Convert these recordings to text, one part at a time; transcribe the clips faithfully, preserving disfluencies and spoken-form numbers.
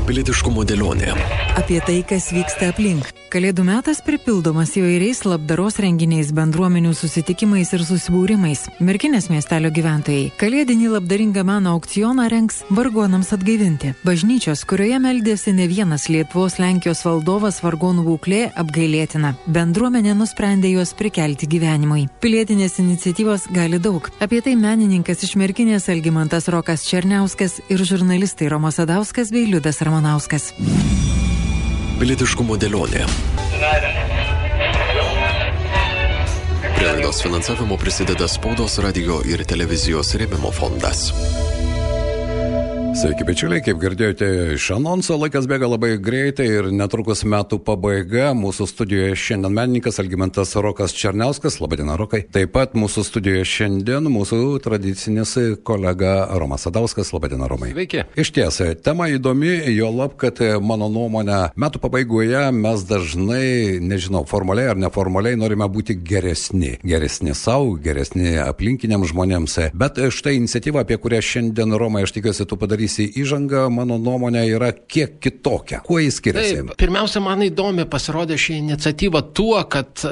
Pilietiškumo dėlionė. Apie tai, kas vyksta aplink. Kalėdų metas pripildomas įvairiais labdaros renginiais, bendruomenių susitikimais ir susibūrimais. Merkinės miestelio gyventojai kalėdinį labdaringą meno aukcioną rengs vargonams atgaivinti. Bažnyčios, kurioje meldėsi ne vienas Lietuvos Lenkijos valdovas, vargonų būklė apgailėtina. Bendruomenė nusprendė juos prikelti gyvenimui. Pilietinės iniciatyvos gali daug. Apie tai menininkas iš Merkinės Algimantas Rokas Černiauskas ir žurnalistai Romas Sadauskas bei Liudas Ramanauskas. Pilietiškumo dėlionė. Prie laidos finansavimo prisideda Spaudos, radio ir televizijos rėmimo fondas. Sveiki, bičiuliai, kaip girdėjote iš anonso, laikas bėga labai greitai ir netrukus metų pabaiga. Mūsų studijoje šiandien menininkas Algimantas Rokas Černiauskas. Labadiena, Rokai. Taip pat mūsų studijoje šiandien mūsų tradicinis kolega Romas Sadauskas. Labadiena, Romai. Sveiki. Iš tiesa, tema įdomi, juolab, kad mano nuomonė, metų pabaigoje mes dažnai, nežinau, formaliai ar neformaliai norime būti geresni. Geresni savo, geresni aplinkiniams žmonėms. Bet štai iniciatyva, apie kurią šiandien, Romai, aš tikiuosi, tu padarysi įžanga, mano nuomonė yra kiek kitokia. Kuo jis skiriasi? Taip, pirmiausia, man įdomi pasirodė ši iniciatyva tuo, kad e,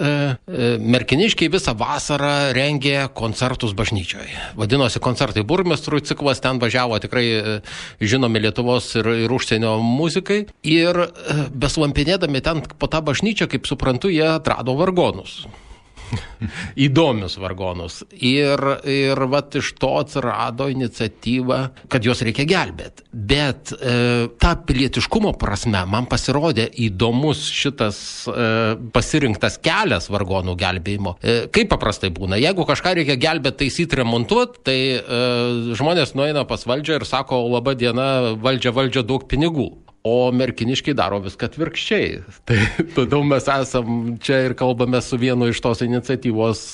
e, merkiniškiai visą vasarą rengė koncertus bažnyčioje. Vadinosi koncertai burmistrų ciklas, ten važiavo tikrai e, žinomi Lietuvos ir, ir užsienio muzikai. Ir e, beslampinėdami ten po tą bažnyčią, kaip suprantu, jie atrado vargonus. Įdomius vargonus. Ir, ir vat iš to atsirado iniciatyva, kad juos reikia gelbėti. Bet e, ta pilietiškumo prasme man pasirodė įdomus šitas e, pasirinktas kelias vargonų gelbėjimo. E, kaip paprastai būna, jeigu kažką reikia gelbėti, taisyti, remontuoti, tai e, žmonės nueina pas valdžią ir sako, laba diena, valdžia, valdžia, daug pinigų. O merkiniškiai daro viską atvirkščiai. Tai todėl mes esam čia ir kalbame su vienu iš tos iniciatyvos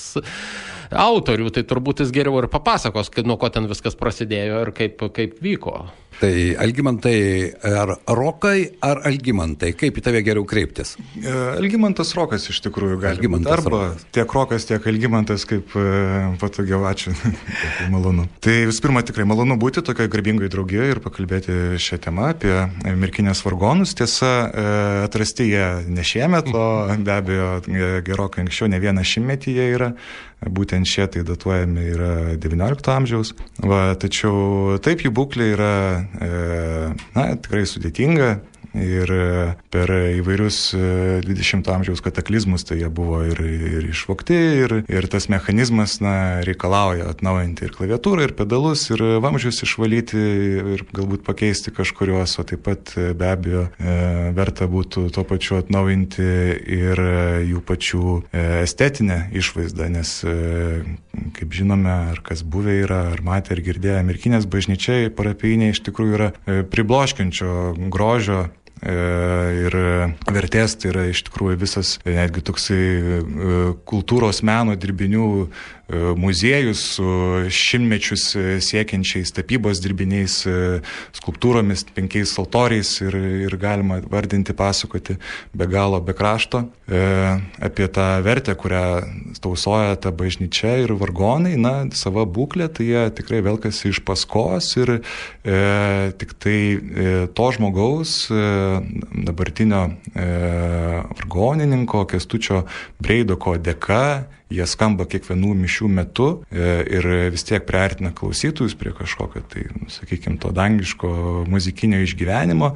autorių. Tai turbūt jis geriau ir papasakos, nuo ko ten viskas prasidėjo ir kaip, kaip vyko. Tai Algimantai, ar Rokai, ar Algimantai? Kaip į tave geriau kreiptis? Algimantas Rokas iš tikrųjų gali būti. Arba Rokas. Tiek Rokas, tiek Algimantas, kaip patogiau, ačiū. Malonu. Tai visų pirma, tikrai malonu būti tokioje garbingoje draugijoje ir pakalbėti šią temą apie merkinės vargonus. Tiesa, atrasti jie ne šiemet, o be abejo gerokai anksčiau, ne vieną šimtmetį jie yra. Būtent šie tai datuojami yra devyniolikto amžiaus. Va, tačiau taip jų būklė yra e, na, tikrai sudėtinga. Ir per įvairius dvidešimto amžiaus kataklizmus tai jie buvo ir, ir išvogti, ir, ir tas mechanizmas na, reikalauja atnaujinti ir klaviatūrą, ir pedalus, ir vamzdžius išvalyti, ir galbūt pakeisti kažkuriuos, o taip pat be abejo verta būtų tuo pačiu atnaujinti ir jų pačių estetinę išvaizdą, nes kaip žinome, ar kas buvę yra, ar matė, ar girdėjo, merkinės bažnyčiai parapijiniai iš tikrųjų yra pribloškiančio grožio ir vertės, tai yra iš tikrųjų visas netgi toksai kultūros meno dirbinių muziejus su šimtmečius siekiančiais tapybos dirbiniais, skulptūromis, penkiais altoriais ir, ir galima vardinti, pasakoti be galo, be krašto e, apie tą vertę, kurią tausoja ta bažnyčia ir vargonai, na, sava būklė, tai jie tikrai velkasi iš paskos ir e, tik tai e, to žmogaus, e, dabartinio e, vargonininko Kęstučio Breidoko dėka, jie skamba kiekvienų mišių metu ir vis tiek priartina klausytojus prie kažkokio, tai, sakykime, to dangiško muzikinio išgyvenimo,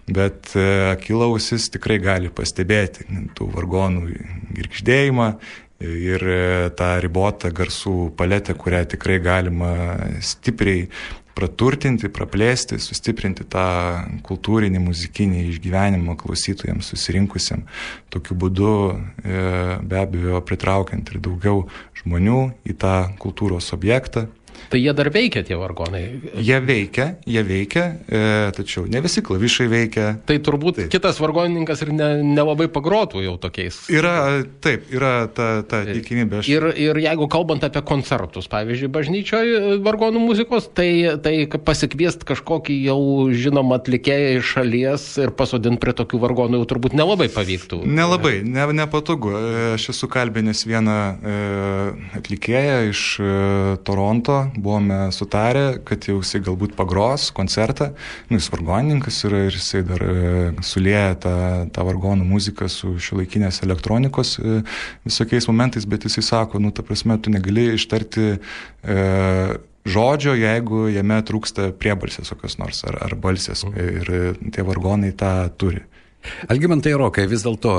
bet akyla ausis tikrai gali pastebėti tų vargonų girgždėjimą ir tą ribotą garsų paletę, kurią tikrai galima stipriai praturtinti, praplėsti, sustiprinti tą kultūrinį, muzikinį išgyvenimą klausytojams susirinkusiam. Tokiu būdu be abejo pritraukiant ir daugiau žmonių į tą kultūros objektą. Tai jie dar veikia, tie vargonai? Jie veikia, jie veikia, e, tačiau ne visi klavišai veikia. Tai turbūt taip. Kitas vargonininkas ir ne, nelabai pagrotų jau tokiais. Yra, taip, yra ta, ta tikimybė. Aš... Ir, ir jeigu kalbant apie koncertus, pavyzdžiui, bažnyčioje vargonų muzikos, tai, tai pasikviest kažkokį jau žinomą atlikėją iš šalies ir pasodinti prie tokių vargonų jau turbūt nelabai pavyktų. Nelabai, ne, nepatogu. Aš esu kalbinęs vieną e, atlikėją iš e, Toronto, buvome sutarę, kad jau jisai galbūt pagros koncertą, nu, jis vargonininkas yra ir jisai dar sulieja tą, tą vargonų muziką su šiuolaikinės elektronikos visokiais momentais, bet jisai sako, nu, ta prasme, tu negali ištarti e, žodžio, jeigu jame trūksta priebalsės kokios nors, ar, ar balsės, ir tie vargonai tą turi. Algimantai Rokai, vis dėlto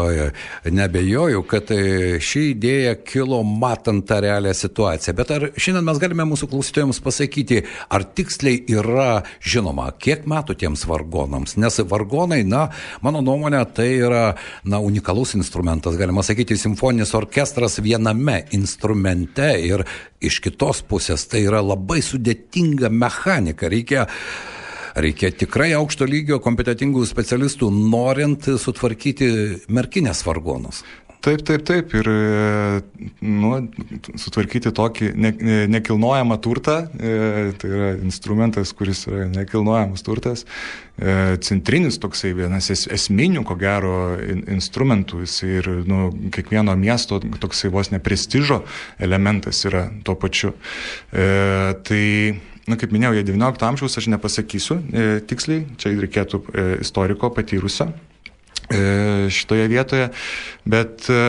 nebejoju, kad ši idėja kilo matant tą realią situaciją, bet ar šiandien mes galime mūsų klausytojams pasakyti, ar tiksliai yra žinoma, kiek metų tiems vargonams, nes vargonai, na, mano nuomonė, tai yra, na, unikalus instrumentas, galima sakyti, simfoninis orkestras viename instrumente ir iš kitos pusės tai yra labai sudėtinga mechanika, reikia Reikia tikrai aukšto lygio kompetentingų specialistų, norint sutvarkyti merkinės vargonus. Taip, taip, taip. Ir nu, sutvarkyti tokį ne, nekilnojamą turtą, tai yra instrumentas, kuris yra nekilnojamas turtas, centrinis toksai vienas es, esminių, ko gero, instrumentų. Jis ir nu, kiekvieno miesto toksai vos ne prestižo elementas yra tuo pačiu. E, tai Na, kaip minėjau, jie devyniolikto amžiaus, aš nepasakysiu e, tiksliai, čia reikėtų e, istoriko patyrusio e, šitoje vietoje, bet, e,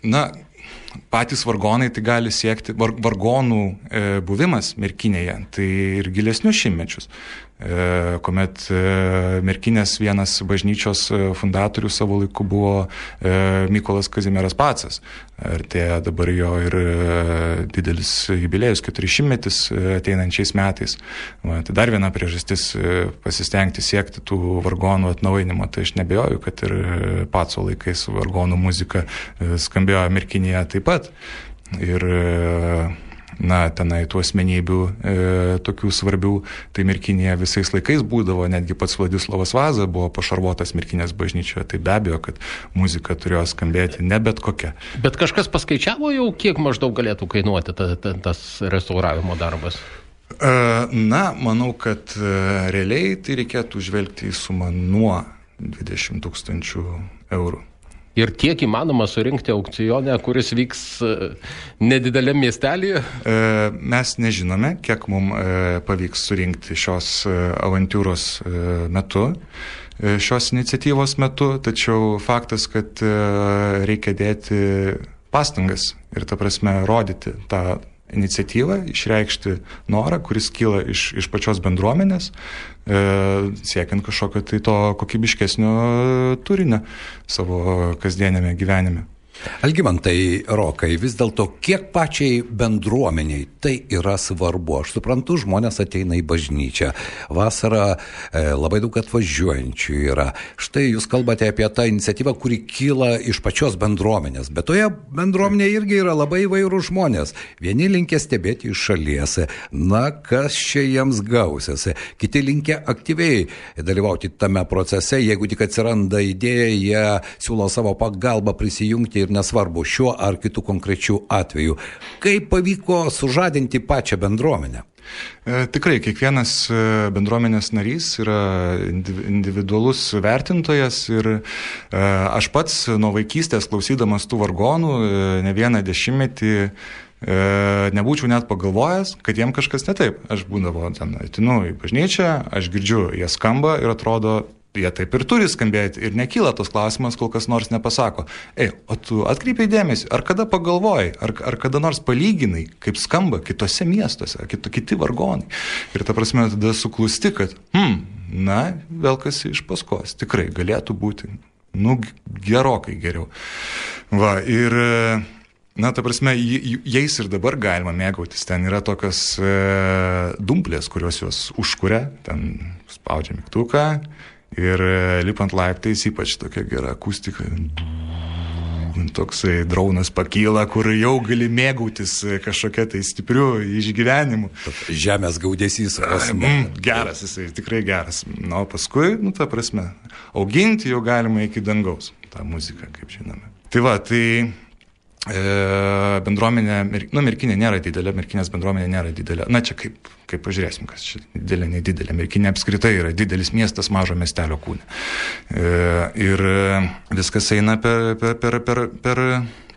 na, patys vargonai tai gali siekti, var, vargonų e, buvimas Merkinėje, tai ir gilesnius šimtmečius, e, kuomet e, Merkinės vienas bažnyčios fundatorių savo laiku buvo e, Mykolas Kazimieras Pacas. Artėja dabar jo ir didelis jubiliejus, keturišimtmetis ateinančiais metais. Va, tai dar viena priežastis pasistengti siekti tų vargonų atnaujinimo. Tai aš nebejoju, kad ir Paco laikais vargonų muzika skambėjo Merkinėje taip pat. Ir na, tenai tų asmenybių e, tokių svarbių, tai Merkinėje visais laikais būdavo, netgi pats Vladislavas Vaza buvo pašarvotas Merkinės bažnyčioje, tai be abejo, kad muzika turėjo skambėti ne bet kokia. Bet kažkas paskaičiavo jau, kiek maždaug galėtų kainuoti ta, ta, tas restauravimo darbas? E, na, manau, kad e, realiai tai reikėtų žvelgti į sumą nuo dvidešimt tūkstančių eurų. Ir tiek įmanoma surinkti aukcione, kuris vyks nedideliam miestelyje? Mes nežinome, kiek mums pavyks surinkti šios avantūros metu, šios iniciatyvos metu, tačiau faktas, kad reikia dėti pastangas ir, ta prasme, rodyti tą iniciatyvą, išreikšti norą, kuris kyla iš, iš pačios bendruomenės, e, siekiant kažkokio tai to kokybiškesnio turinio savo kasdienėme gyvenime. Algimantai Rokai, vis dėlto kiek pačiai bendruomeniai tai yra svarbu? Aš suprantu, žmonės ateina į bažnyčią. Vasarą e, labai daug atvažiuojančių yra. Štai jūs kalbate apie tą iniciatyvą, kuri kyla iš pačios bendruomenės. Bet toje bendruomenėje irgi yra labai įvairūs žmonės. Vieni linkia stebėti iš šalies. Na, kas čia jiems gausiasi? Kiti linkia aktyviai dalyvauti tame procese. Jeigu tik atsiranda idėja, jie siūlo savo pagalbą prisijungti ir nesvarbu šiuo ar kitų konkrečių atveju. Kaip pavyko sužadinti pačią bendruomenę? E, tikrai, kiekvienas bendruomenės narys yra individualus vertintojas ir e, aš pats nuo vaikystės klausydamas tų vargonų e, ne vieną dešimtmetį e, nebūčiau net pagalvojęs, kad jiem kažkas ne taip. Aš būdavo ten, atinu į bažnyčią, aš girdžiu, jie skamba ir atrodo, jie taip ir turi skambėti ir nekyla tos klausimas, kol kas nors nepasako. Ei, o tu atkreipiai dėmesį, ar kada pagalvojai, ar, ar kada nors palyginai, kaip skamba kitose miestuose, kito, kiti vargonai. Ir ta prasme tada suklusti, kad, hm, na, vėl kas iš paskos, tikrai galėtų būti, nu, gerokai geriau. Va, ir, na, ta prasme, jais ir dabar galima mėgautis. Ten yra tokios e, dumplės, kurios juos užkuria, ten spaudžia mygtuką, ir lipant laiptais ypač tokia gera akustika. Toksai draunas pakyla, kur jau gali mėgautis kažkokia tai stipriu išgyvenimu. Žemės gaudesys. Mm, geras, jisai tikrai geras. Na, o paskui, nu, ta prasme, auginti jau galima iki dangaus tą muziką, kaip žinome. Tai va, tai e, bendruomenė, nu, Merkinė nėra didelė, Merkinės bendruomenė nėra didelė. Na, čia kaip, kaip pažiūrėsim, kas čia didelė, nedidelė. Merkinė apskritai yra didelis miestas mažo miestelio kūne. E, ir viskas eina per, per, per, per, per,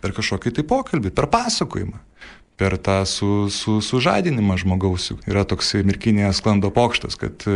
per kažkokį tai pokalbį, per pasakojimą. per tą su, su, sužadinimą žmogaus. Yra toks Merkinėje sklando pokštas, kad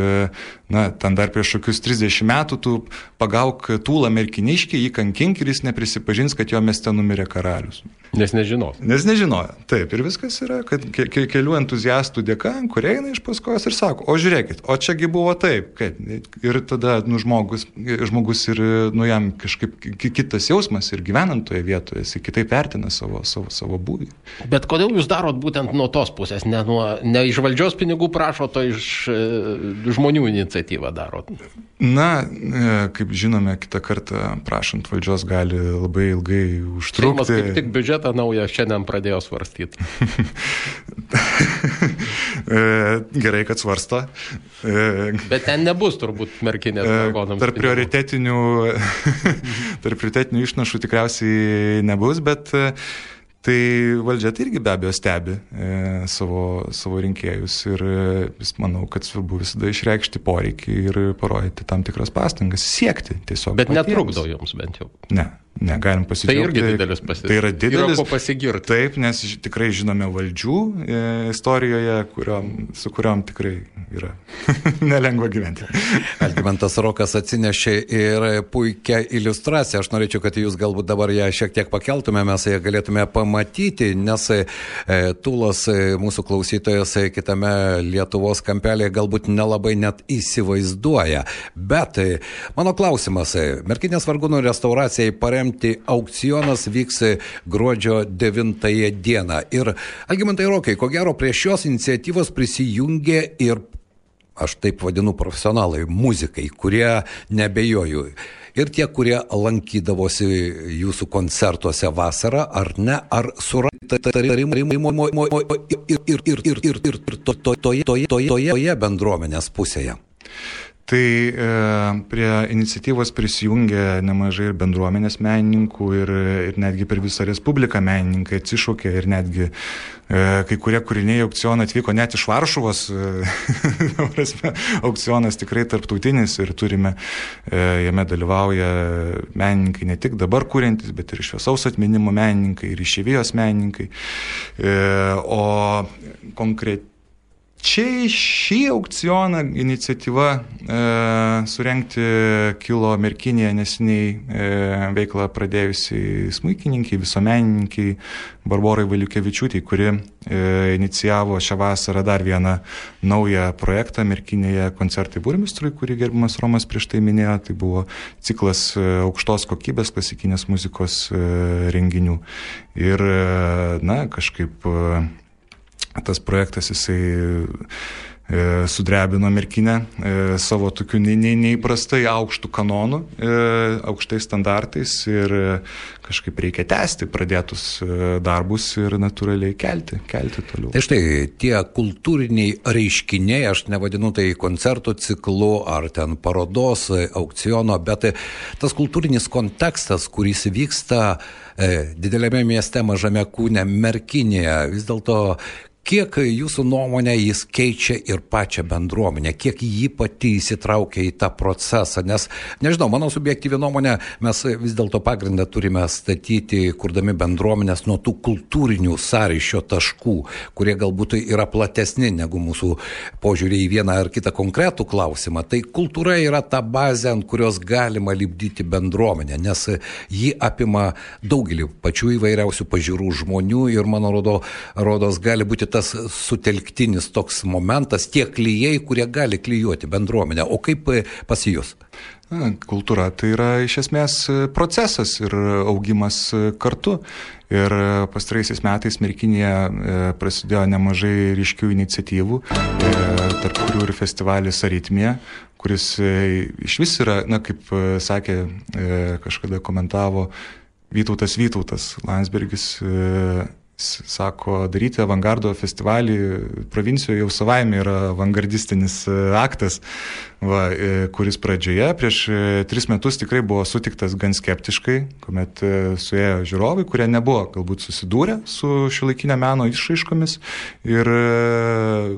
na, ten dar prieš kokius trisdešimt metų tu pagauk tūlą merkiniškį, jį kankink ir jis neprisipažins, kad jo mieste numirė karalius. Nes nežino. Nes nežinojo. Taip, ir viskas yra, kad ke, ke, kelių entuziastų dėka, kurie eina iš paskos ir sako, o žiūrėkit, o čiagi buvo taip. Kaip? Ir tada nu, žmogus, žmogus ir nu, jam kažkaip kitas jausmas ir gyvenant toje vietoje, jis kitaip vertina savo, savo, savo būvį. Bet kodėl jūs darot būtent nuo tos pusės, ne, nuo, ne iš valdžios pinigų prašot, o iš e, žmonių iniciatyvą darot? Na, kaip žinome, kitą kartą prašant valdžios gali labai ilgai užtrukti. Seimas kaip tik biudžetą naują šiandien pradėjo svarstyti. Gerai, kad svarsto. Bet ten nebus turbūt Merkinės dragonams. Tarp prioritetinių, tarp prioritetinių išnašų tikriausiai nebus, bet tai valdžia tai irgi be abejo stebi e, savo, savo rinkėjus ir vis manau, kad svarbu visada išreikšti poreikį ir parodyti tam tikras pastangas, siekti tiesiog. Bet patiems. Netrukdo jums bent jau? Ne. Ne, galim pasidžiaugti. Tai irgi didelis pasidžiaugimas. Tai yra didelis. Yra ko pasigirti. Taip, nes tikrai žinome valdžių e, istorijoje, kuriom, su kuriuom tikrai yra nelengva gyventi. Algimantas Rokas atsinešė ir puikią iliustraciją. Aš norėčiau, kad jūs galbūt dabar ją šiek tiek pakeltume, mes ją galėtume pamatyti, nes e, Tūlas e, mūsų klausytojas e, kitame Lietuvos kampelėje galbūt nelabai net įsivaizduoja. Bet e, mano klausimas, e, Merkinės vargonų restauracijai paremti aukcionas vyks gruodžio devintąją dieną. Ir Algimantai Rokai, ko gero prie šios iniciatyvos prisijungė ir, aš taip vadinu, profesionalai, muzikai, kurie nebejoju. Ir tie, kurie lankydavosi jūsų koncertuose vasarą, ar ne, ar suratoje toje bendruomenės pusėje. Tai e, prie iniciatyvos prisijungė nemažai ir bendruomenės menininkų ir, ir netgi per visą Respubliką menininkai atsišaukė ir netgi e, kai kurie kūriniai aukcioną atvyko net iš Varšuvos. E, aukcionas tikrai tarptautinis ir turime, e, jame dalyvauja menininkai ne tik dabar kūrentys, bet ir šviesaus atminimo menininkai ir išeivijos menininkai. E, o konkrečiai Čia šį aukcioną iniciatyva e, surengti kilo Merkinėje neseniai e, veiklą pradėjusiai smuikininkai, visuomenininkai Barborai Valiukevičiūtei, kuri e, inicijavo šią vasarą dar vieną naują projektą Merkinėje koncertai burmistrui, kurį gerbiamas Romas prieš tai minėjo. Tai buvo ciklas e, aukštos kokybės klasikinės muzikos e, renginių. Ir, e, na, kažkaip E, tas projektas jisai e, sudrebino Merkinę e, savo tokiu ne, ne, neįprastai aukštų kanonų, e, aukštais standartais ir e, kažkaip reikia tęsti pradėtus e, darbus ir natūraliai kelti, kelti toliau. Tai štai tie kultūriniai reiškiniai, aš nevadinu tai koncertų ciklu ar ten parodos, aukciono, bet tas kultūrinis kontekstas, kuris vyksta e, didelėme mieste, mažame kūne, Merkinėje, vis dėlto kiek jūsų nuomonė jis keičia ir pačią bendruomenę, kiek jį pati įsitraukia į tą procesą, nes, nežinau, mano subjektyvi nuomonė, mes vis dėlto pagrindą turime statyti, kurdami bendruomenės nuo tų kultūrinių sąryšio taškų, kurie galbūt yra platesni negu mūsų požiūrį į vieną ar kitą konkretų klausimą. Tai kultūra yra ta bazė, ant kurios galima lipdyti bendruomenę, nes ji apima daugelį pačių įvairiausių pažiūrų žmonių ir, mano rodo, rodos gali būti tas sutelktinis toks momentas, tie klijai, kurie gali klijuoti bendruomenę. O kaip pas jūs? Na, kultūra tai yra iš esmės procesas ir augimas kartu. Ir pastaraisiais metais Merkinėje prasidėjo nemažai ryškių iniciatyvų, tarp kurių ir festivalis Aritmija, kuris iš vis yra, na, kaip sakė, kažkada komentavo Vytautas Vytautas Landsbergis, sako, daryti avangardo festivalį provincijoje jau savaime yra avangardistinis aktas, va, kuris pradžioje prieš tris metus tikrai buvo sutiktas gan skeptiškai, kuomet suėjo žiūrovai, kurie nebuvo galbūt susidūrę su šiuolaikinio meno išraiškomis ir,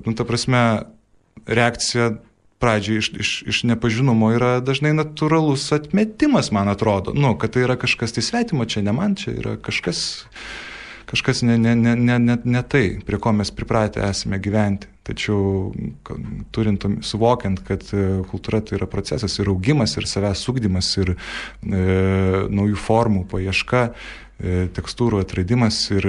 nu, ta prasme, reakcija pradžiai iš, iš, iš nepažinumo yra dažnai natūralus atmetimas, man atrodo, nu, kad tai yra kažkas tai svetimo, čia ne man, čia yra kažkas kažkas ne, ne, ne, ne, ne, ne tai, prie ko mes pripratę esame gyventi. Tačiau turint, suvokiant, kad kultūra tai yra procesas ir augimas, ir savęs ugdymas, ir e, naujų formų paieška, e, tekstūrų atradimas ir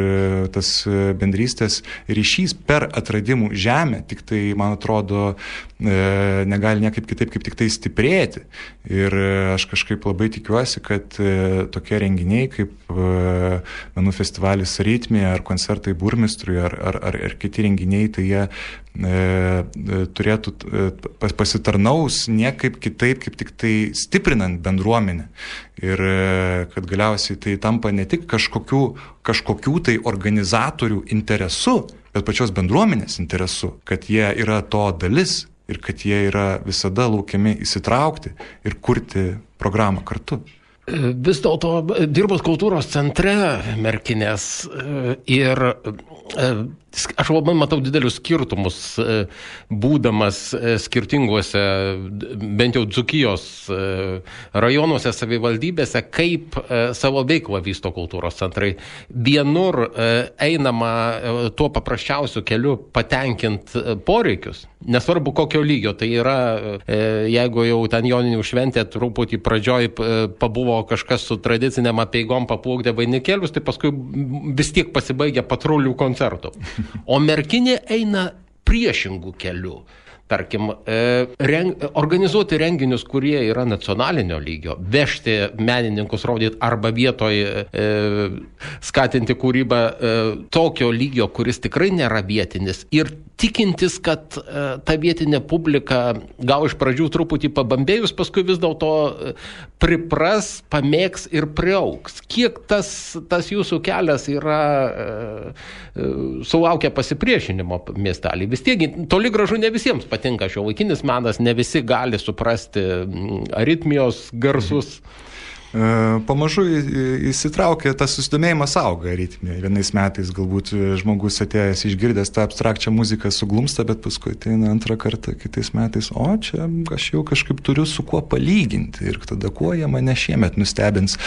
tas bendrystės ryšys per atradimų žemę, tik tai, man atrodo, e, negali niekaip kitaip, kaip tik tai stiprėti. Ir aš kažkaip labai tikiuosi, kad e, tokie renginiai kaip e, menų festivalis Ritmija ar koncertai Burmistrui ar, ar, ar, ar kiti renginiai, tai jie turėtų pasitarnaus niekaip kitaip, kaip tik tai stiprinant bendruomenę. Ir kad galiausiai tai tampa ne tik kažkokių, kažkokių tai organizatorių interesu, bet pačios bendruomenės interesu, kad jie yra to dalis ir kad jie yra visada laukiami įsitraukti ir kurti programą kartu. Vis dėlto dirbus kultūros centre Merkinės ir aš labai matau didelius skirtumus, būdamas skirtinguose, bent jau Dzūkijos rajonuose, savivaldybėse, kaip savo veiklą vysto kultūros centrai. Vienur einama tuo paprasčiausiu keliu patenkint poreikius, nesvarbu kokio lygio. Tai yra, jeigu jau ten Joninių šventė truputį pradžioj pabuvo kažkas su tradiciniam apeigom paplukdė vainikėlius, tai paskui vis tiek pasibaigia patrulių koncertų. O Merkinė eina priešingų kelių. Tarkim, reng, organizuoti renginius, kurie yra nacionalinio lygio, vežti menininkus rodyti arba vietoj e, skatinti kūrybą e, tokio lygio, kuris tikrai nėra vietinis, ir tikintis, kad e, ta vietinė publika gal iš pradžių truputį pabambėjus, paskui vis dėlto pripras, pamėgs ir priauks. Kiek tas, tas jūsų kelias yra e, e, sulaukia pasipriešinimo miestelį? Vis tiek toli gražu ne visiems patinka šiuolaikinis menas, ne visi gali suprasti aritmijos garsus. Pamažu įsitraukia, tas susidomėjimas auga aritmija. Vienais metais galbūt žmogus atėjęs išgirdęs tą abstrakčią muziką suglumsta, bet paskui ateina antrą kartą kitais metais, o čia aš jau kažkaip turiu su kuo palyginti ir tada kuo jie mane šiemet nustebins.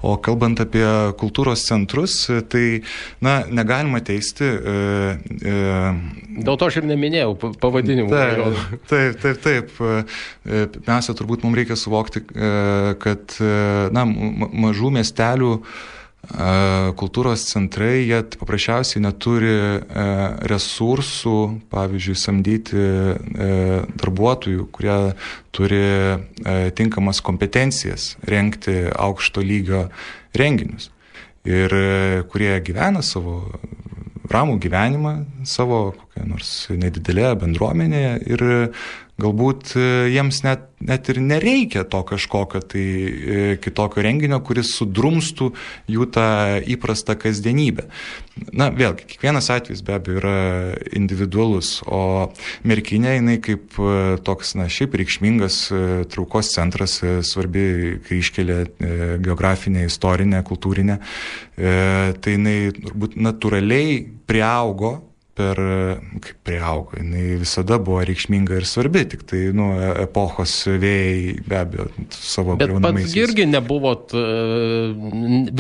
O kalbant apie kultūros centrus, tai na, negalima teisti. E, e, Dėl to aš ir neminėjau pavadinimų. Taip, taip, taip. taip. Pirmiausia, turbūt mums reikia suvokti, kad na, mažų miestelių kultūros centrai, jie paprasčiausiai neturi resursų, pavyzdžiui, samdyti darbuotojų, kurie turi tinkamas kompetencijas rengti aukšto lygio renginius ir kurie gyvena savo ramų gyvenimą, savo kokią nors nedidelėje bendruomenėje ir galbūt jiems net, net ir nereikia to kažkokio tai kitokio renginio, kuris sudrumstų jų tą įprastą kasdienybę. Na, vėlgi, kiekvienas atvejis be abejo yra individualus, o Merkinė, jinai kaip toks, na, šiaip reikšmingas traukos centras, svarbi kryžkelė geografinė, istorinė, kultūrinė, tai jinai turbūt natūraliai priaugo per, kaip priaugo, jinai visada buvo reikšminga ir svarbi, tik tai, nu, epochos vėjai be abejo savo griaunamaisiais. Bet pats irgi nebuvot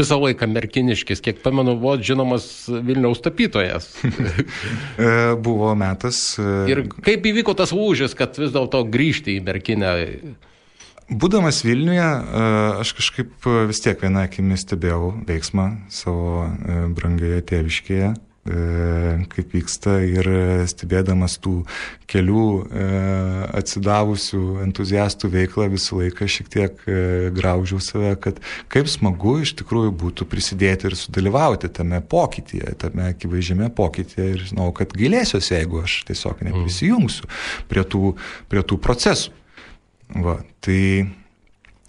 visą laiką merkiniškis, kiek pamenu, buvo žinomas Vilniaus tapytojas. Buvo metas. Ir kaip įvyko tas lūžis, kad vis dėlto grįžti į Merkinę? Būdamas Vilniuje, aš kažkaip vis tiek vieną akimi stebėjau veiksmą savo brangioje tėviškėje, kaip vyksta, ir stebėdamas tų kelių atsidavusių entuziastų veiklą visą laiką šiek tiek graužiau save, kad kaip smagu iš tikrųjų būtų prisidėti ir sudalyvauti tame pokytyje, tame akivaizdžiame pokytyje, ir žinau, kad gailėsiuosi, jeigu aš tiesiog neprisijungsiu prie tų, prie tų procesų. Va, tai...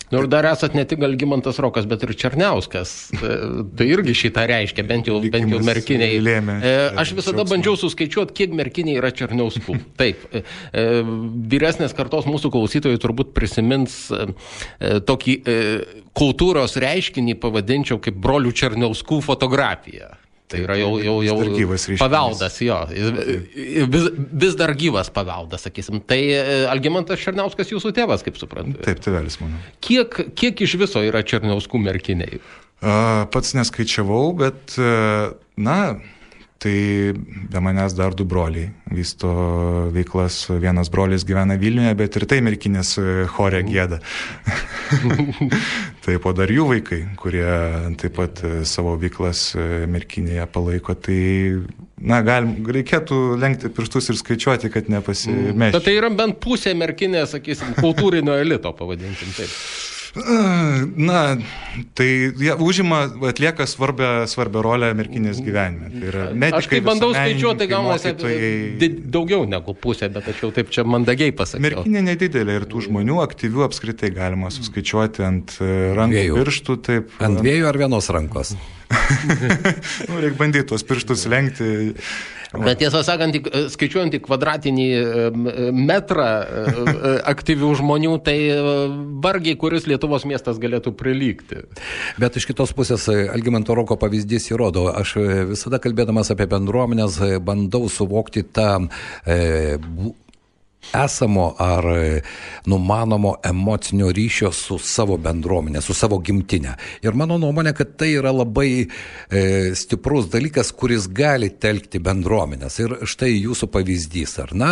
Nu, ir dar esat ne tik Algimantas Rokas, bet ir Černiauskas. Tai irgi šitą reiškia, bent jau, bent jau Merkiniai. Lėmė, aš visada bandžiau suskaičiuoti, kiek Merkiniai yra Černiauskų. Taip, vyresnės kartos mūsų klausytojai turbūt prisimins tokį kultūros reiškinį, pavadinčiau kaip brolių Černiauskų fotografiją. Tai yra jau, jau, jau paveldas, jo, vis, vis dar gyvas paveldas, sakysim. Tai Algimantas Černiauskas jūsų tėvas, kaip suprantu. Taip, tėvelis mano. Kiek, kiek iš viso yra Černiauskų Merkiniai? Pats neskaičiavau, bet, na, tai be manęs dar du broliai vysto veiklas. Vienas brolis gyvena Vilniuje, bet ir tai merkinės chore gieda. Taip, o dar jų vaikai, kurie taip pat savo veiklas merkinėje palaiko. Tai, na, galim, reikėtų lenkti pirštus ir skaičiuoti, kad nepasimešti. Bet tai yra bent pusė merkinės, sakysim, kultūrinio elito, pavadinkim taip. Na, tai jie užima, atlieka svarbę, svarbę rolę merkinės gyvenime. Tai yra medikai, aš kai bandau skaičiuoti, tai gaunasi mokytojai... daugiau negu pusė, bet aš jau taip čia mandagiai pasakiau. Merkinė nedidelė ir tų žmonių aktyvių apskritai galima suskaičiuoti ant rankų dviejų. Pirštų. Taip, ant dviejų ar vienos rankos? Nu, reikia bandyti tuos pirštus lenkti. Bet tiesą sakant, skaičiuojant į kvadratinį metrą aktyvių žmonių, tai vargiai kuris Lietuvos miestas galėtų prilygti. Bet iš kitos pusės Algimanto Roko pavyzdys įrodo. Aš visada kalbėdamas apie bendruomenės bandau suvokti tą e, esamo ar numanomo emocinio ryšio su savo bendruomenė, su savo gimtinė. Ir mano nuomonė, kad tai yra labai e, stiprus dalykas, kuris gali telkti bendruomenės. Ir štai jūsų pavyzdys, ar na,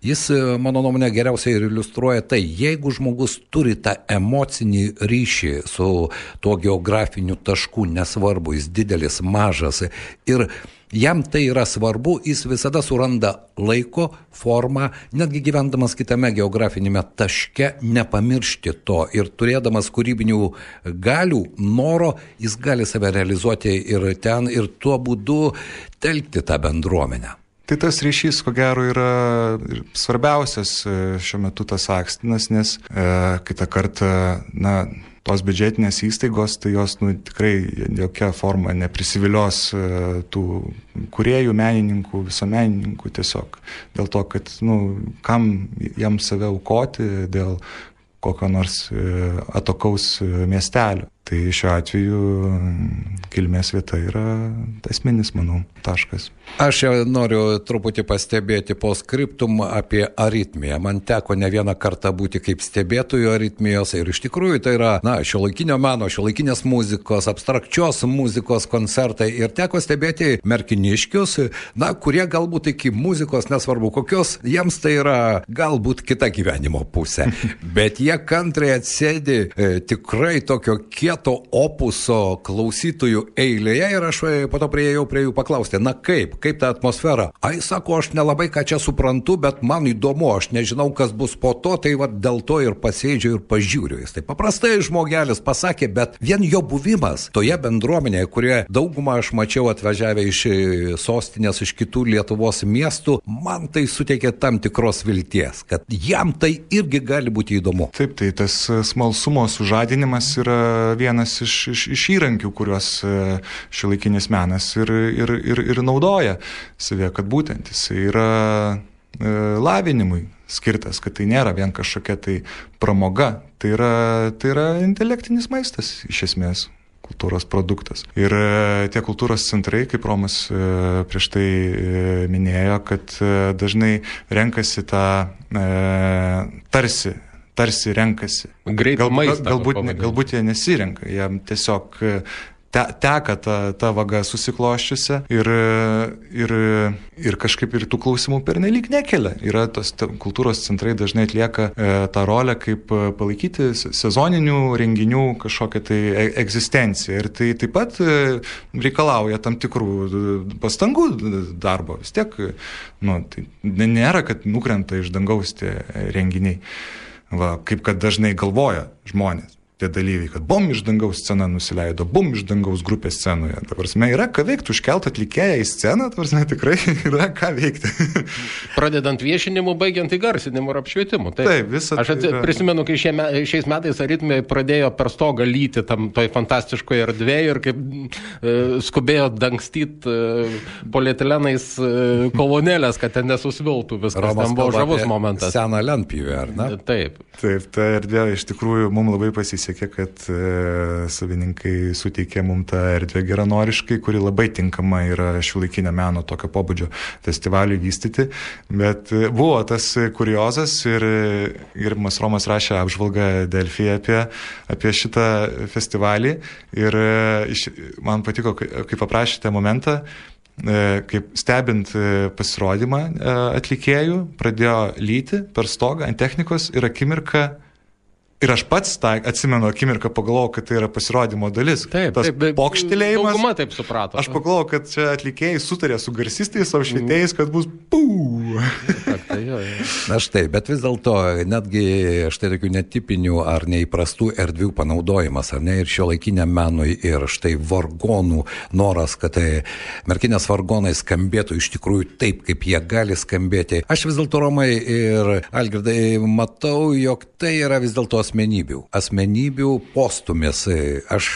jis, mano nuomonė, geriausiai ir iliustruoja tai, jeigu žmogus turi tą emocinį ryšį su tuo geografiniu tašku, nesvarbu, jis didelis, mažas, ir jam tai yra svarbu, jis visada suranda laiko, formą, netgi gyvendamas kitame geografinėme taške, nepamiršti to. Ir turėdamas kūrybinių galių, noro, jis gali save realizuoti ir ten, ir tuo būdu telkti tą bendruomenę. Tai tas ryšys, ko gero, yra svarbiausias šiuo metu tas akstinas, nes e, kitą kartą, na, tos biudžetinės įstaigos, tai jos, nu, tikrai jokia forma neprisivilios uh, tų kūrėjų, menininkų, visuomenininkų tiesiog. Dėl to, kad, nu, kam jam save aukoti dėl kokio nors uh, atokaus uh, miestelio. Tai šiuo atveju kilmės vieta yra esminis, manau, taškas. Aš noriu truputį pastebėti postscriptum apie aritmiją. Man teko ne vieną kartą būti kaip stebėtojų aritmijos ir iš tikrųjų tai yra, na, šiuolaikinio meno, šiuolaikinės muzikos, abstrakčios muzikos koncertai ir teko stebėti merkiniškius, na, kurie galbūt iki muzikos, nesvarbu kokios, jiems tai yra galbūt kita gyvenimo pusė. Bet jie kantriai atsėdi e, tikrai tokio kieto opuso klausytojų eilėje ir aš po to priėjau prie jų paklausti, na kaip, kaip ta atmosfera? Ai, sako, aš nelabai ką čia suprantu, bet man įdomu, aš nežinau, kas bus po to, tai va dėl to ir pasėdžiu ir pažiūriu. Jis tai paprastai žmogelis pasakė, bet vien jo buvimas toje bendruomenėje, kurie daugumą aš mačiau atvažiavę iš sostinės, iš kitų Lietuvos miestų, man tai suteikė tam tikros vilties, kad jam tai irgi gali būti įdomu. Taip, tai tas smalsumo sužadinimas yra vienas iš, iš, iš įrankių, kuriuos šiuolaikinis menas ir, ir, ir, ir naudoja savie, kad būtent jis yra e, lavinimui skirtas, kad tai nėra vien kažkokia tai pramoga, tai yra, tai yra intelektinis maistas iš esmės. Kultūros produktas. Ir tie kultūros centrai, kaip Romas prieš tai minėjo, kad dažnai renkasi tą e, tarsi tarsi renkasi. Greitą maistą. Galbūt, galbūt jie nesirenka, jie tiesiog te, teka ta, ta vaga susikloščiusi ir, ir, ir kažkaip ir tų klausimų pernelyg nekelia. Yra tos ta, kultūros centrai dažnai atlieka e, tą rolę, kaip palaikyti sezoninių renginių kažkokią tai egzistenciją. Ir tai taip pat e, reikalauja tam tikrų pastangų darbo. Vis tiek, nu, tai nėra, kad nukrenta iš dangaus tie renginiai. Va, kaip kad dažnai galvoja žmonės, tie dalyviai, kad bum iš dangaus scena nusileido, bum iš dangaus grupė scenoje. Ta prasme, yra ką veikti, užkelt atlikėją į sceną, ta prasme, tikrai yra ką veikti. Pradedant viešinimu, baigiant įgarsinimu ir apšvietimu. Taip, Taip visą aš at, yra... prisimenu, kai šie, šiais metais aritmai pradėjo per stogą lyti tam toj fantastiškoje erdvėje ir kaip e, skubėjo dangstyt e, polietilenais e, kolonėlės, kad ten nesusviltų viskas. Romas ten buvo žavus momentas. Seną lentpjūvę, ar ne? Taip. Taip, ta erdvė iš tikrųjų mums labai pasisekė. pasisekė, kad e, savininkai suteikė mums tą erdvę geranoriškai, kuri labai tinkama yra šiuolaikinio meno tokio pobūdžio festivaliui vystyti. Bet e, buvo tas kuriozas ir gerbiamas Romas rašė apžvalgą Delfyje apie, apie šitą festivalį ir e, man patiko, kaip paprašėte momentą, kaip stebint pasirodymą atlikėjų, pradėjo lyti per stogą ant technikos ir akimirką, ir aš pats tą atsimenu akimirką pagalvojau, kad tai yra pasirodymo dalis. Taip, tas taip, pokštelėjimas. Dauguma taip suprato. Aš pagalvojau, kad čia atlikėjai sutarė su garsistais, savo švietėjais, kad bus pū. Na štai, bet vis dėlto netgi štai tokių netipinių ar neįprastų erdvių panaudojimas, ar ne, ir šiuolaikiniam menui, ir štai vargonų noras, kad tai merkinės vargonai skambėtų iš tikrųjų taip, kaip jie gali skambėti. Aš vis dėlto, Romai ir Algirdai, matau, jog tai yra vis dėlto asmenybių. Asmenybių postumis. Aš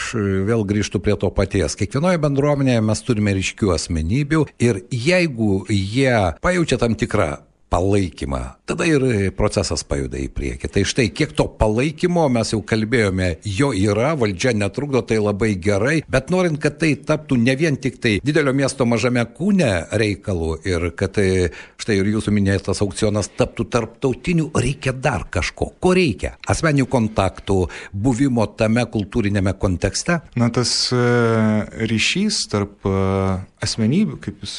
vėl grįžtu prie to paties. Kiekvienoje bendruomenėje mes turime ryškių asmenybių ir jeigu jie pajaučia tam tikrą palaikymą, tada ir procesas pajuda į priekį. Tai štai, kiek to palaikymo mes jau kalbėjome, jo yra, valdžia netrukdo, tai labai gerai, bet norint, kad tai taptų ne vien tik tai didelio miesto mažame kūne reikalų ir kad tai, štai ir jūsų minėtas aukcionas taptų tarptautiniu, reikia dar kažko. Ko reikia? Asmeninių kontaktų, buvimo tame kultūrinėme kontekste? Na, tas ryšys tarp asmenybių, kaip jūs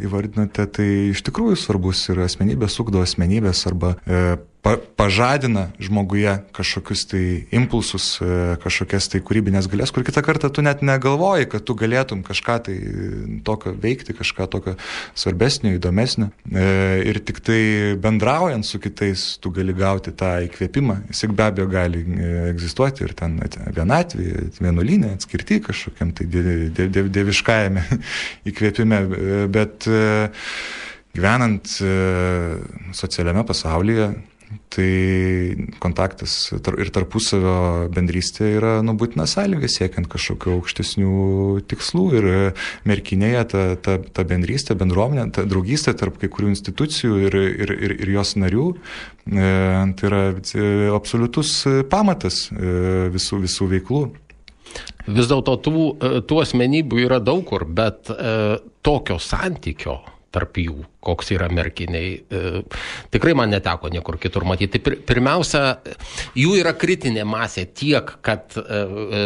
įvardinote, tai iš tikrųjų svarbus yra. Asmenybės ugdo asmenybės arba e, pa, pažadina žmoguje kažkokius tai impulsus, e, kažkokias tai kūrybinės galės, kur kitą kartą tu net negalvoji, kad tu galėtum kažką tai tokio veikti, kažką tokio svarbesnio, įdomesnio. E, ir tik tai bendraujant su kitais tu gali gauti tą įkvėpimą. Jis be abejo gali egzistuoti ir ten vienatvėje, vienuolynė, atskirti kažkokiam tai dieviškajame įkvėpime, bet e, gyvenant e, socialiame pasaulyje, tai kontaktas ir tarpusavio bendrystė yra nu, būtina sąlyga siekiant kažkokių aukštesnių tikslų. Ir Merkinėje ta, ta, ta bendrystė, bendruomenė, ta draugystė tarp kai kurių institucijų ir, ir, ir, ir jos narių, e, tai yra absoliutus pamatas e, visų, visų veiklų. Vis dėlto tų, tų asmenybių yra daug kur, bet e, tokio santykio tarp jų, koks yra Merkiniai. E, tikrai man neteko niekur kitur matyti. Pir, pirmiausia, jų yra kritinė masė tiek, kad e, e,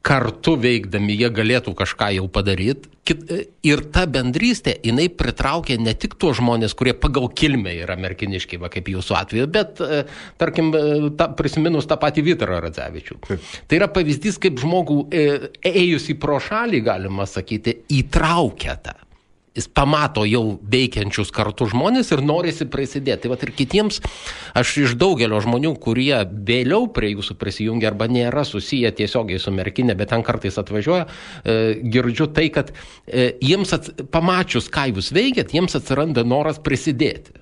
kartu veikdami jie galėtų kažką jau padaryti. Kit, e, ir ta bendrystė, jinai pritraukia ne tik tuos žmonės, kurie pagal kilmę yra merkiniški, va, kaip jūsų atveju, bet, e, tarkim, ta, prisiminus tą patį Vytarą Radzevičių. Taip. Tai yra pavyzdys, kaip žmogų e, ėjus į pro šalį, galima sakyti, įtraukia tą. Jis pamato jau veikiančius kartu žmonės ir norisi prisidėti. Tai vat ir kitiems, aš iš daugelio žmonių, kurie vėliau prie jūsų prisijungia arba nėra susiję tiesiogiai su Merkinė, bet ten kartais atvažiuoja, e, girdžiu tai, kad e, jiems ats, pamačius, ką jūs veikiat, jiems atsiranda noras prisidėti.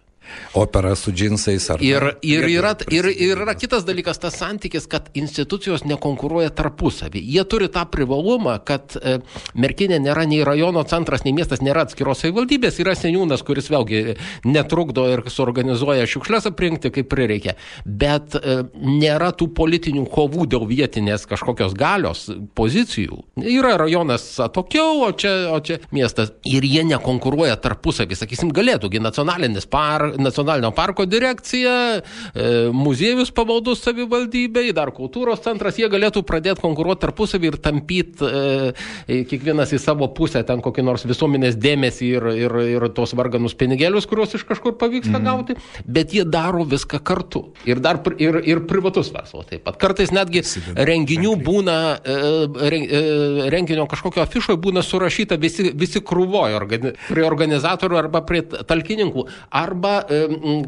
Opera su džinsais ar... Ir, ir, yra, ir, ir yra kitas dalykas, tas santykis, kad institucijos nekonkuruoja tarpusavį. Jie turi tą privalumą, kad e, Merkinė nėra nei rajono centras, nei miestas, nėra atskiros savivaldybės, yra seniūnas, kuris vėlgi netrukdo ir suorganizuoja šiukšles aprinkti, kaip prireikia. Bet e, nėra tų politinių kovų dėl vietinės kažkokios galios pozicijų. Yra rajonas atokiau, o čia, o čia miestas. Ir jie nekonkuruoja tarpusavį. Sakysim, galėtųgi nacionalinis par Nacionalinio parko direkcija, e, muziejus pavaldus savivaldybei, dar kultūros centras, jie galėtų pradėti konkuruoti tarpusavį ir tampyti e, kiekvienas į savo pusę ten kokį nors visuomenės dėmesį ir, ir, ir tos varganus pinigėlius, kuriuos iš kažkur pavyksta mm. gauti, bet jie daro viską kartu. Ir dar ir, ir privatus verslas taip pat. Kartais netgi renginių būna, e, renginio kažkokio afišoje būna surašyta visi, visi krūvoje organi, prie organizatorių arba prie talkininkų. Arba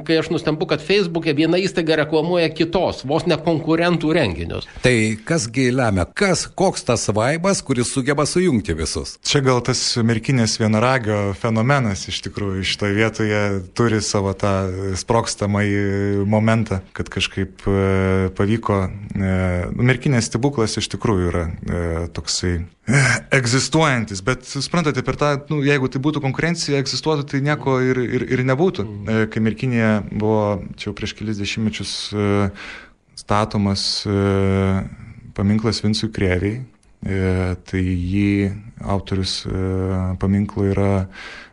kai aš nustembu, kad Facebook'e viena įstaiga reklamuoja kitos, vos ne konkurentų renginius. Tai kasgi lemia, kas, koks tas vaibas, kuris sugeba sujungti visus? Čia gal tas Merkinės vienaragio fenomenas iš tikrųjų šitoje vietoje turi savo tą sprogstamąjį momentą, kad kažkaip e, pavyko. E, Merkinės stebuklas iš tikrųjų yra e, toksai e, egzistuojantis, bet suprantate, per tą, nu, jeigu tai būtų konkurencija, egzistuotų, tai nieko ir, ir, ir nebūtų. E, kai Merkinėje buvo čia jau prieš kelis dešimtmečius e, statomas e, paminklas Vincui Krėvei. Tai jį autorius paminklo yra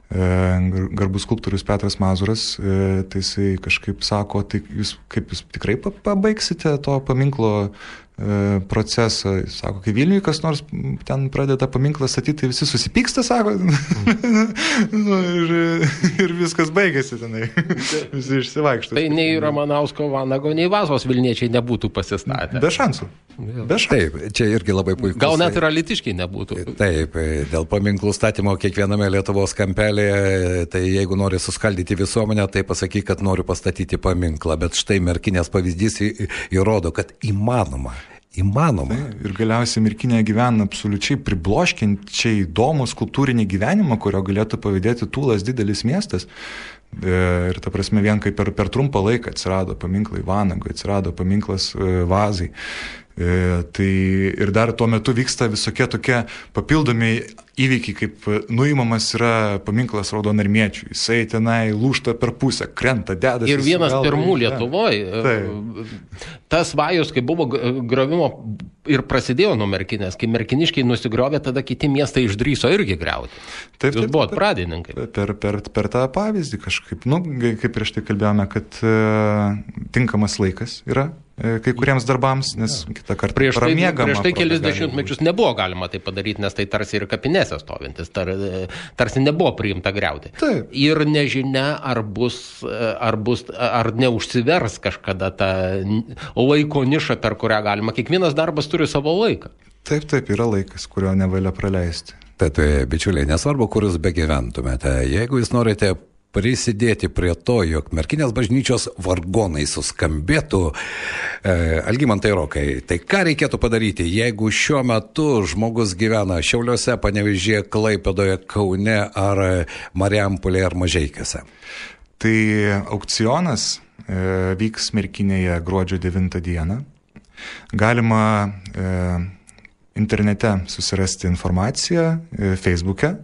garbus skulptorius Petras Mazuras. Tai jisai kažkaip sako, tai jūs, kaip jūs tikrai pabaigsite to paminklo procesą. Sako, kai Vilniuje kas nors ten pradeda paminklą statyti, tai visi susipyksta, sako, nu, ir, ir viskas baigėsi tenai. Visi išsivaikšto. Tai nei Ramanausko, Vanago, nei Vazos vilniečiai nebūtų pasistatę. Be šansų. Be šansų. Taip, čia irgi labai puikus. Gal net ir alytiškiai nebūtų. Taip, dėl paminklų statymo kiekviename Lietuvos kampelėje, tai jeigu nori suskaldyti visuomenę, tai pasakyk, kad noriu pastatyti paminklą. Bet štai Merkinės pavyzdys įrodo, kad įmanoma. Įmanoma. Tai, ir galiausiai Merkinėje gyvena absoliučiai pribloškiančiai įdomus kultūrinį gyvenimą, kurio galėtų pavydėti Tūlas didelis miestas. Ir ta prasme, vien kaip per, per trumpą laiką atsirado paminklai Vanagui, atsirado paminklas Vazai. E, tai ir dar tuo metu vyksta visokie tokie papildomi įvykiai, kaip nuimamas yra paminklas Raudonarmiečiui. Jisai tenai lūžta per pusę, krenta, dedasi. Ir vienas pirmų Lietuvoje. Tas vajus, kai buvo gravimo ir prasidėjo nuo Merkinės, kai merkiniškiai nusigrovė, tada kiti miestai išdryso irgi griauti. Taip, Jūs buvot pradininkai. Per, per, per tą pavyzdį kažkaip, nu, kaip prieš tai kalbėjome, kad uh, tinkamas laikas yra kai kuriems darbams, nes kitą kartą prieš tai, pramiegama. Prieš tai kelis dešimtmečius nebuvo galima tai padaryti, nes tai tarsi ir kapinėse stovintis, tar, tarsi nebuvo priimta griauti. Taip. Ir nežinia, ar bus, ar bus, ar neužsivers kažkada ta laiko niša, per kurią galima. Kiekvienas darbas turi savo laiką. Taip, taip, yra laikas, kurio nevalia praleisti. Tad, bičiuliai, nesvarbu, kur jūs begyventumėte, jeigu jūs norite prisidėti prie to, jog Merkinės bažnyčios vargonai suskambėtų, e, Algimantai Rokai, tai ką reikėtų padaryti, jeigu šiuo metu žmogus gyvena Šiauliuose, Panevėžyje, Klaipėdoje, Kaune ar Marijampolėje ar Mažeikiuose? Tai aukcionas e, vyks Merkinėje gruodžio devintą dieną. Galima e, internete susirasti informaciją e, Facebook'e.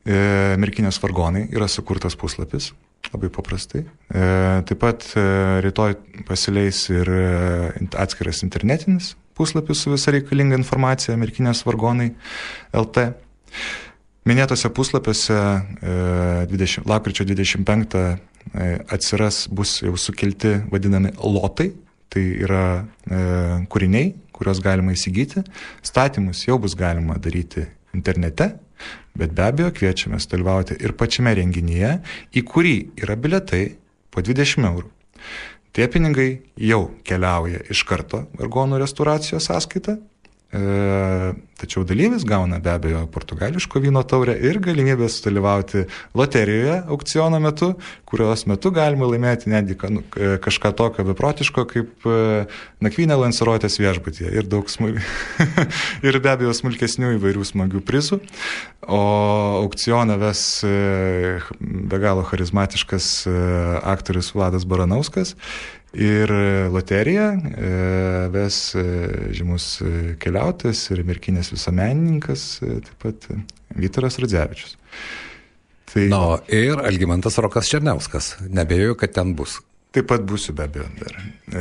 Merkinės vargonai yra sukurtas puslapis, labai paprastai. Taip pat rytoj pasileis ir atskiras internetinis puslapis su visa reikalinga informacija Merkinės vargonai L T. Minėtose puslapiuose dvidešimt, lapkričio dvidešimt penktą atsiras, bus jau sukelti vadinami lotai, tai yra kūriniai, kuriuos galima įsigyti. Statymus jau bus galima daryti internete. Bet be abejo kviečiame dalyvauti ir pačiame renginyje, į kurį yra biletai po dvidešimt eurų. Tie pinigai jau keliauja iš karto vargonų restauracijos sąskaitą, e, tačiau dalyvis gauna be abejo portugališko vyno taurę ir galimybę sudalyvauti loterijoje aukciono metu, kurios metu galima laimėti netgi kažką tokio beprotiško kaip nakvynė Lanserotės viešbutyje ir daug smul... ir be abejo smulkesnių įvairių smagių prizų. O aukcioną ves be galo charizmatiškas aktorius Vladas Baranauskas ir loteriją ves žymus keliautojas ir Merkinės visuomenininkas, taip pat Vytaras Radzevičius. Tai... Na, ir Algimantas Rokas Černiauskas. Nebejoju, kad ten bus. Taip pat būsiu be abejo dar. E,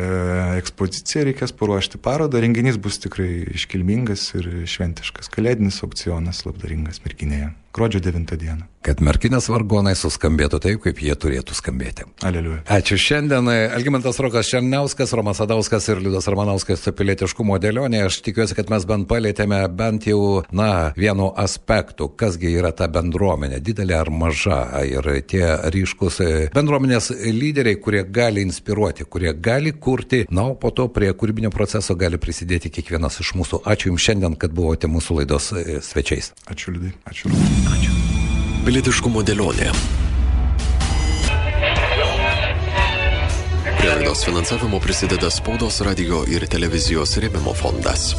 ekspoziciją reikės paruošti parodą. Renginys bus tikrai iškilmingas ir šventiškas. Kalėdinis aukcionas labdaringas Merkinėje. Gruodžio devintą dieną. Kad Merkinės vargonai suskambėtų taip, kaip jie turėtų skambėti. Aleliuja. Ačiū šiandien. Algimantas Rokas Černiauskas, Romas Sadauskas ir Liudas Ramanauskas pilietiškumo dėlionė. Aš tikiuosi, kad mes bent palėtėme bent jau, na, vienu aspektu, kasgi yra ta bendruomenė, didelė ar maža. Ir tie ryškus bendruomenės lyderiai, kurie gali inspiruoti, kurie gali kurti, na, o po to prie kūrybinio proceso gali prisidėti kiekvienas iš mūsų. Ačiū Jums šiandien, kad buvote mūsų laidos svečiais. Ačiū, Liudai. Ačiū. Ačiū. Pilietiškumo dėlionė. Prie laidos finansavimo prisideda Spaudos, radijo ir televizijos rėmimo fondas.